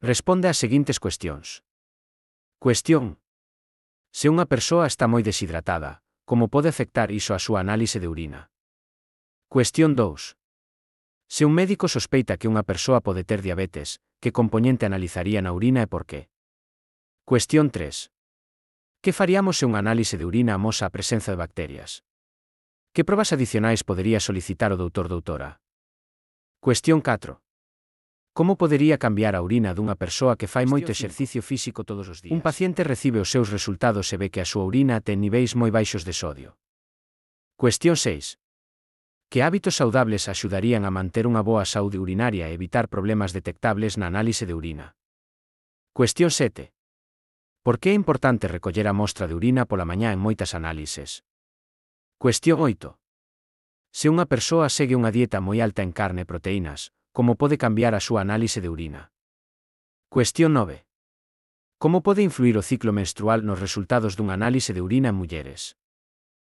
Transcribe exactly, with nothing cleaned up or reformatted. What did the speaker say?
Responde ás seguintes cuestións. Cuestión. Se unha persoa está moi deshidratada, como pode afectar iso á súa análise de urina? Cuestión dous. Se un médico sospeita que unha persoa pode ter diabetes, que compoñente analizaría na urina e por qué? Cuestión tres. Que faríamos se unha análise de urina amosa a presenza de bacterias? Que probas adicionais podería solicitar o doutor doutora? Cuestión catro. Como podería cambiar a urina dunha persoa que fai moito exercicio físico todos os días? Un paciente recibe os seus resultados e ve que a súa urina ten niveis moi baixos de sodio. Cuestión seis. Que hábitos saudables axudarían a manter unha boa saúde urinaria e evitar problemas detectables na análise de urina? Cuestión sete. Por que é importante recoller a mostra de urina pola mañá en moitas análises? Cuestión oito. Se unha persoa segue unha dieta moi alta en carne e proteínas, como pode cambiar a súa análise de urina? Cuestión nove. Como pode influir o ciclo menstrual nos resultados dunha análise de urina en mulleres?